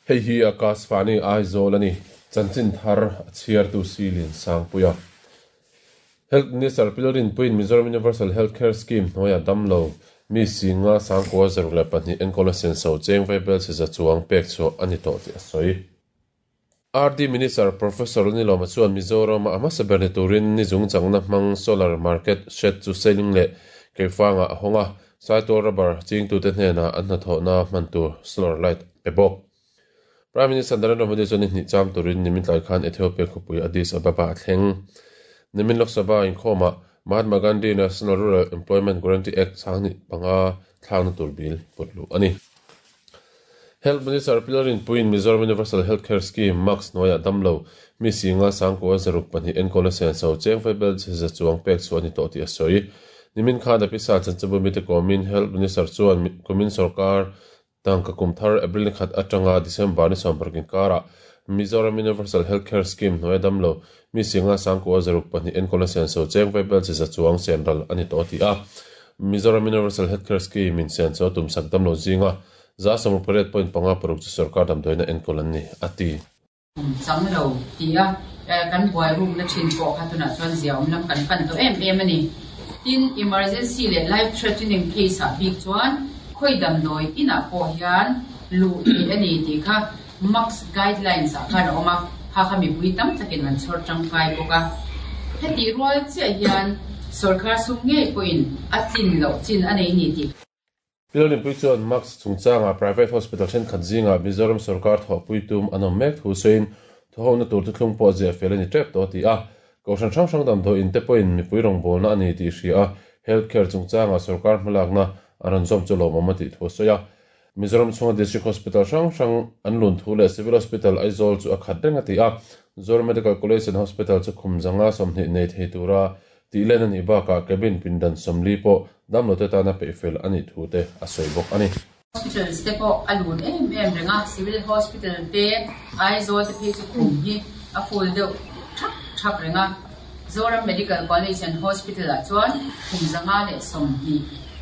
Hei hi Akashvani Aizawl a ni. Chanchin thar a chhiartu Silin Sangpuia. Health Minister Pilrinpuiin Mizoram Universal Health Care Scheme hnuaia damlo mi singa 9,062 enkawl a senso cheng vaibel chhe chuang pek chhuah a ni tawh tih a sawi. RD Minister Professor Nilawma chuan Mizoram a hmasa ber ni turin ni zung changna hmang solar market shed chu Seling leh Keifanga a hawng a, Saitual rubber chingtute hnenah an hnathawhna hman tur solar light pe bawk. Prime Minister Narendra Modi chuan ni hnih cham turin nimin tlai khan Ethiopia khawpui Addis Ababa a thleng. Nimin Lok Sabha inkhawmah Mahatma Gandhi National Rural Employment Guarantee Act 2005 thlakna tur bill put luh a ni. Health Minister Pilrinpuiin Mizoram Universal Health Care Scheme, MUHCS, hnuaiah damlo mi singa 962 enkawlna senso cheng vaibel chhe za chuang pek chhuah a ni tawh tih a sawi. Nimin khan a pisa chanchinbu mite kawmin Health Minister chuan kumin sorkar tangka kum thar April ni khat atanga December ni 18 inkarah Mizoram Universal Health Care Scheme hnuaia damlo mi singa 962 enkawlna senso cheng vaibel chhe za chuang senral a ni tawh a ti a. Mizoram Universal Health Care Scheme in senso tumsak damlo zinga 80.56 chu sarkar damdawiina enkawl an ni, a ti. Kum chang lo tia kan buai rukna thin pawh kha tunah chuan zia awm lam kan pan tawh em em a ni. Tin, emergency leh life threatening case ah bik chuan khawi damdawi inah pawh hian luh theih a ni tih kha MUHCS guidelines ah khan a awm a, kha kha mipui tam takin an chhawr tangkai bawk a. Hetih rual chiah hian sawrkar sum ngei pawhin a tlin loh chin a nei ni tih. Pilrinpui chuan MUHCS chungchangah private hospital thenkhat zingah Mizoram sorkar thawhpui tum an awm mek thu sawiin thawhona tur thuthlung pawh ziah fel a ni tep tawh a ti a. Kohhran hrang hrang damdawi in te pawhin mipui rawngbawlna a ni tih hria a, health care chungchangah sorkar hmalakna a rawn zawm chu lawmawm a tih thu a sawi a. Mizoram chhunga district hospital hrang hrang an lun thu leh civil hospital Aizawl chu a khat reng a ti a. Zoram Medical College and Hospital chu khum zanga 20 nei thei tura tih len a nih bakah cabin pindan 40 pawh damlote tana peihfel a nih thu te a sawi bawk a ni. Hospitals te pawh a lun em em reng a, Civil Hospital te, Aizawl te phei chu khum hi a full deuh thak thak reng a. Zoram Medical College and Hospital ah chuan khum 120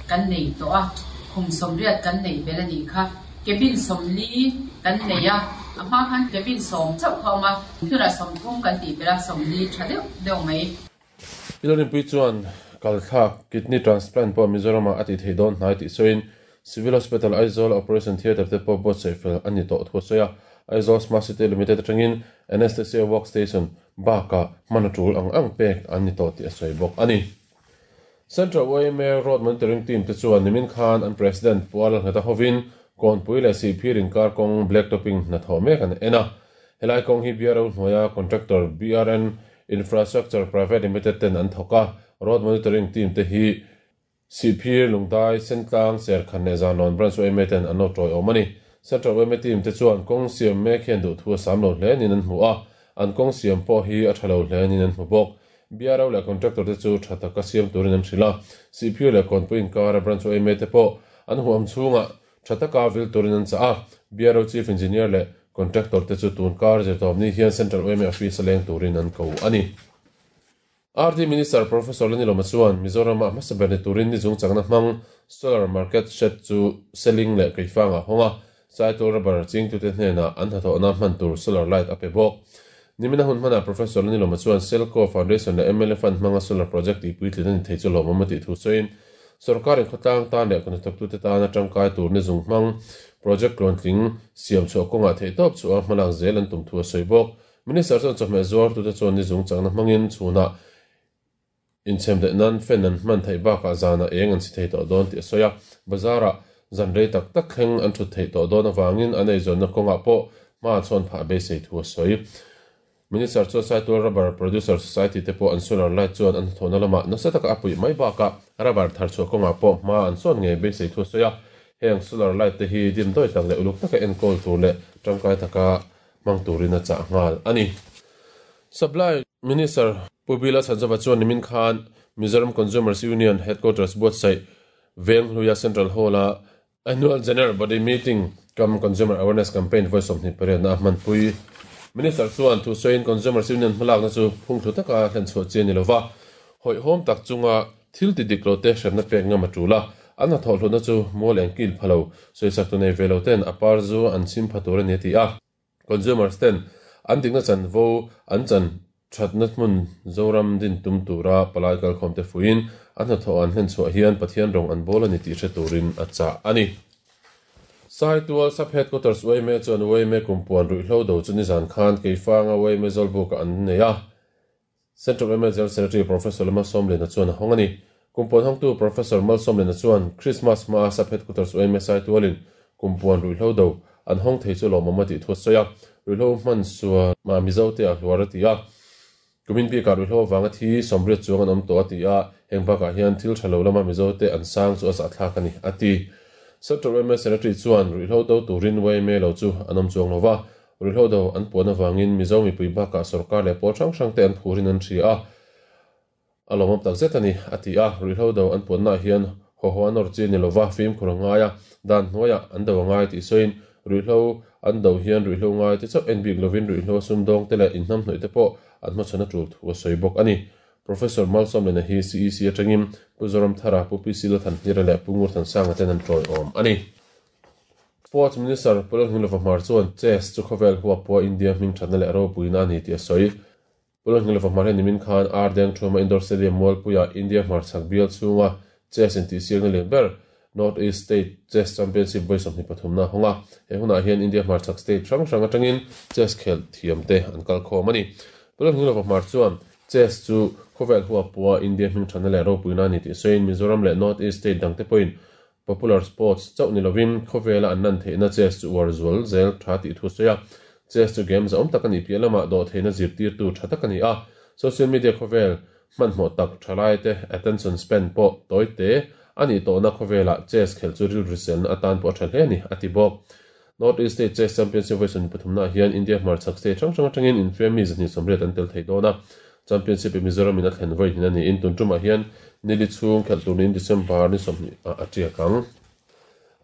kan nei tawh a, khum 80 kan neih belh a nih kha. Cabin 40 kan nei a, a hma khan cabin 10 chauh kha a awm a, tunah 30 kan tih belh a, 40 tha deuh deuh mai. Pilrinpui chuan kalthlak, kidney transplant, pawh Mizoramah a tih theih dawn hnai tih sawiin Civil Hospital Aizawl Operation Theatre te pawh buatsaih fel a ni tawh thu a sawi a. Aizawl Smart City Limited atangin Anaesthesia Work Station bakah hman a tul ang ang pek an ni tawh tih a sawi bawk a ni. Central yma Road Monitoring Team te chuan nimin khan an President Pu Lalngheta hovin Kawnpui leh Sihphir inkar kawng black topping hnathawh mek an en a. Helai kawng hi BRO hnuaia contractor BRN Infrastructure Private Limited ten an thawk a, road monitoring team te hi Sihphir, Lungdai, Sentlang, Serkhan leh Zanlawn Branch yma ten an lo tawiawm a ni. Central yma team te chuan kawng siam mek hian duhthu a sam lo hle niin an hmu a, an kawng siam pawh hi a tha lo hle niin an hmu bawk. BRO leh contractor te chu tha taka siam turin an hrilh a, Sihphir leh Kawnpui inkara Branch yma te pawh an huam chhungah Tha taka vil turin an chah a, BRO Chief Engineer leh Contractor te chu tun kar zirtawpni hian Central yma Office a leng turin an ko a ni. RD Minister Professor Lanilawma chuan Mizoram-ah hmasa ber ni turin ni chung chakna hmang Solar Market Shed chu Seling leh Keifangah a hawng a, Saitual Rubber chingtute hnenah an hnathawhna hman tur solar light a pe bawk. Nimina hun hmanah Professor Lanilawma chuan Selco Foundation leh mla Fund hmanga solar project tihpuitlin a ni thei chu lawmawm a tih thu sawiin, Sorkarin khawtlang tan leh kawhnathawktute tana tangkai tur ni zung hmang project tluantling siam chhuah kawngah theihtawp chhuah a hmalak zel an tum thu a sawi bawk. Minister chuan chawhmeh zuartute chuan ni zung chakna hmangin chhunah inchhem leh nan fan an hman theih bakah zanah eng an si thei tawh dawn tih a sawi a. Bazarah zan rei tak tak thleng an thut theih tawh dawn avangin an eizawnna kawngah pawh hma a chhawn phah beisei thu a sawi. Minister chuan Saitual Rubber Producer Society te pawh an solar light chuan an hnathawhna lamah nasa taka a puih mai bakah rubber thar chhuah kawngah pawh hma an sawn ngei beisei thu a sawi a. Heng solar light te hi dimdawi tak leh uluk taka enkawl tur leh tangkai taka hmang turin a chah nghal a ni. Supply Minister Pu Bila Chhanzova chuan nimin khan Mizoram Consumers Union Headquarters buatsaih Venghluia Central Hall-a Annual General Body Meeting cum Consumer Awareness Campaign vawi 28 na a hmanpui. Minister chuan thusawiin Consumers Union hmalakna chu phungthlu taka hlenchhuah chi a ni lova, hawihhawm tak chunga thil ti dik lo te hremna pek ngam a tul a. An hnathawh hlutna chu mual eng kil pha lo, sawisak tu nei ve lo ten a par zu an chim pha tur a ni a ti a. Consumers ten an dikna chanvo an chan thatna hmun Zoram din tum tura palai kalkhawm te fuiin an hnathawh an hlen chhuah hian Pathian rawng an bawl a ni tih hre turin a chah a ni. Saitual Sub Headquarters yma chuan yma kumpuan ruihhlo do chu nizan khan Keifanga yma Zawlbuka an nei a. Central yma General Secretary Professor Malsawmliana chuan a hawng a ni. Kumpuan hawngtu Professor Malsawmliana chuan Christmas hmaa Sub Headquarters yma Saitualin kumpuan ruihhlo do an hawng thei chu lawmawm a tih thu a sawi a. Ruihhlo hman sual mah Mizote a hluar a ti a. Kumin bikah ruihhlo avanga thi 80 chuang an awm tawh a ti a, heng bakah hian thil tha lo lama Mizote an sang chu a zahthlak a ni, a ti. Central yma Secretary chuan ruihhlo do turin yma lo chu an awm chuang lo va, ruihhlo do an puan avangin Mizo mipui bakah sorkar leh pawl hrang hrangte an phurin an hria a, a lawmawm takzet a ni, a ti a. Ruihhlo do an puannaah hian haw haw a nawr chi a ni lo va, fimkhur a ngai a, dan hnuaiah an do a ngai tih sawiin ruihhlo an do hian ruihhlo ngai te chauh en bik lovin ruihhlo a sumdawng te leh inhnamhnawih te pawh an hmachhawn a tul thu a sawi bawk a ni. Professor Malsawmlena hi CEC atangin Pu Zoramthara, Pu PC Lalthanhlira leh Pu Ngurthansanga ten an tawiawm a ni. Sports Minister Pu Lalhmilova Hmar chuan Chess chu khawvel huap pawha India hming thatna leh ropuina a ni tih a sawi. Pu Lalhmilova Hmar hian nimin khan Ardeng Thuma Indoor Stadium Mualpuia India hmarchhak bial chhunga Chess intihsiakna lian ber North East State Chess Championship vawi 23 na a hawng a. He hunah hian India hmarchhak state hrang hrang atangin chess khelh thiamte an kal khawm a ni. Pu Lalhmilova Hmar chuan Chess chu khawvel huapua India hming thatna leh ropuina a ni tih sawiin Mizoram leh North East state dangte pawhin popular sports chauh ni lovin khawvela an lan theihna chess chu uar zual zel tha tih thu a sawi a. Chess chu game zahawm tak a nih piah lamah dawhtheihna zirtirtu tha tak a ni a. Social media khawvel hmanhmawh tak thalaite attention span pawh tawi te a nih tawhna khawvelah chess khelh chu rilru selna atan pawh a tha hle a ni, a ti bawk. North East State Chess Championship vawi 23 naah hian India hmarchhak state hrang hrang atangin infiam mi 280 an tel thei dawn a. Championship hi Mizoram in a thlen vawi hnin a niin tun tumah hian nili chhung khelh tur niin December ni 20 ah a tiak ang.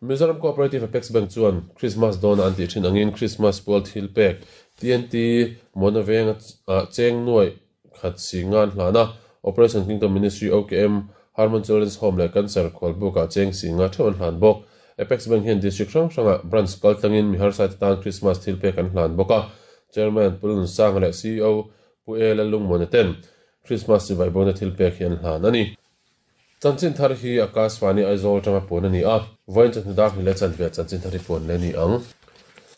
Mizoram Cooperative Apex Bank chuan Christmas dawna an tih thin angin Christmas pual thil pek TNT Muana Veng ah cheng nuaih khat si ngan hlan a, Operation Kingdom Ministry, OKM, Harmon Children's Home leh Cancer khualbukah cheng si nga theuh an hlan bawk. Apex Bank hian District hrang hrangah branch kal tlangin mi harsaite tan Christmas thil pek an hlan bawk a. Chairman Pu Lunsanga leh CEO Pu E Lallungmuana ten Christmas chibai bona thil pek hi an hlan a ni. Chanchin thar hi Akashvani Aizawl atanga puan a ni a, vawiin chawhnu dar hnih leh chanve chanchin thar hi puan leh a ni ang.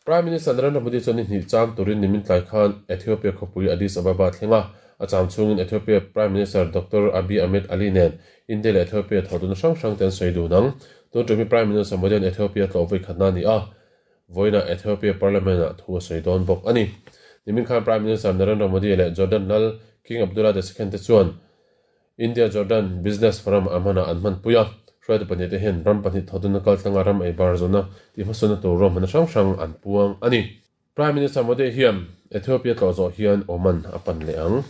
Prime Minister Narendra Modi chuan ni hnih cham turin nimin tlai khan Ethiopia khawpui Addis Ababa thleng a, a cham chhungin Ethiopia Prime Minister Doctor Abiy Ahmed Ali nen India leh Ethiopia thawhtuna hrang hrang te an sawi dun ang. Tun tum hi Prime Minister Modi an Ethiopia tlawh vawi khatna a ni a, vawiinah Ethiopia Parliament-ah thu a sawi dawn bawk a ni. Nimin khan Prime Minister Narendra Modi leh Jordan lal King Abdullah the Second te chuan India Jordan Business Forum a hmanah an hmanpui a, hruaitu pahnihte hian ram pahnih thawhdunna kaltlanga ram ei bar zawhna tih hmasawnna tur ruahmanna hrang hrang an puang a ni. Prime Minister Modi hian Ethiopia tlawh zawh hian Oman a pan leh ang.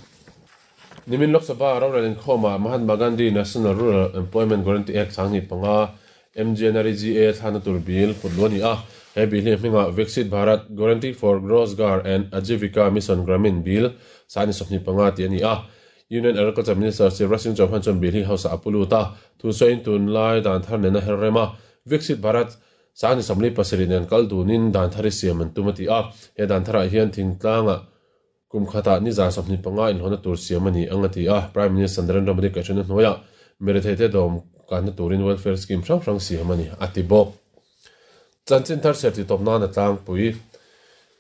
Nimin Lok Sabha rorel inkhawmah Mahatma Gandhi National Rural Employment Guarantee Act 2005, MGNREGA, thlakna tur bill put luh a ni a. He bill hi a hmingah Viksit Bharat Guarantee for Rozgar and Ajeevika Mission Gramin Bill 2025 tih a ni a. Union Agriculture Minister Shivraj Singh Chauhan chuan bill hi hausa a pu lut a, thu sawiin tunlai dan thar nena her rem a, Viksit Bharat 2037 nen kal dunin dan thar hi siam an tum a ti a. He dan tharah hian thingtlangah kum khatah ni 25 inhlawhna tur siam a ni ang a ti a. Prime Minister Narendra Modi kaihhruaina hnuaiah miretheite dawm kanna turin welfare scheme hrang hrang siam a ni a ti bawk. Chanchin thar chhiar tih tawp nan a tlangpui.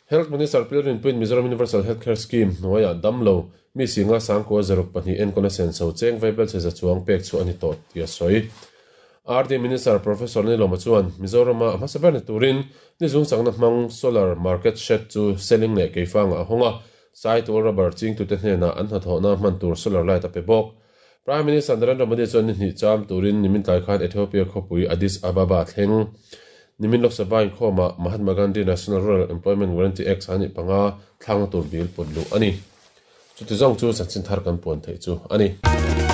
Health Minister Pi Rinpuiin Mizoram Universal Health Care Scheme hnuaiah damlo mi singa sangkua zaruk pahnih enkawlna senso cheng vaibel chhe za chuang pek chhuah a ni tawh tih a sawi. RD Minister Professor Nilawma chuan Mizorama a hmasa ber ni turin ni zungchakna hmang solar market shed chu selling leh keifangah a hawng a, Saitual rubber chingtute hnenah an hnathawhna hman tur solar light a pe bawk. Prime Minister Narendra Modi chuan ni hnih cham turin nimin tlai khan Ethiopia khawpui Addis Ababa thleng. Nimin Lok Sabha inkhawmah Mahatma Gandhi National Rural Employment Guarantee Act 2005 thlakna tur bill put luh a ni. Chuti zawng chu chanchin thar kan puan theih chu a ni.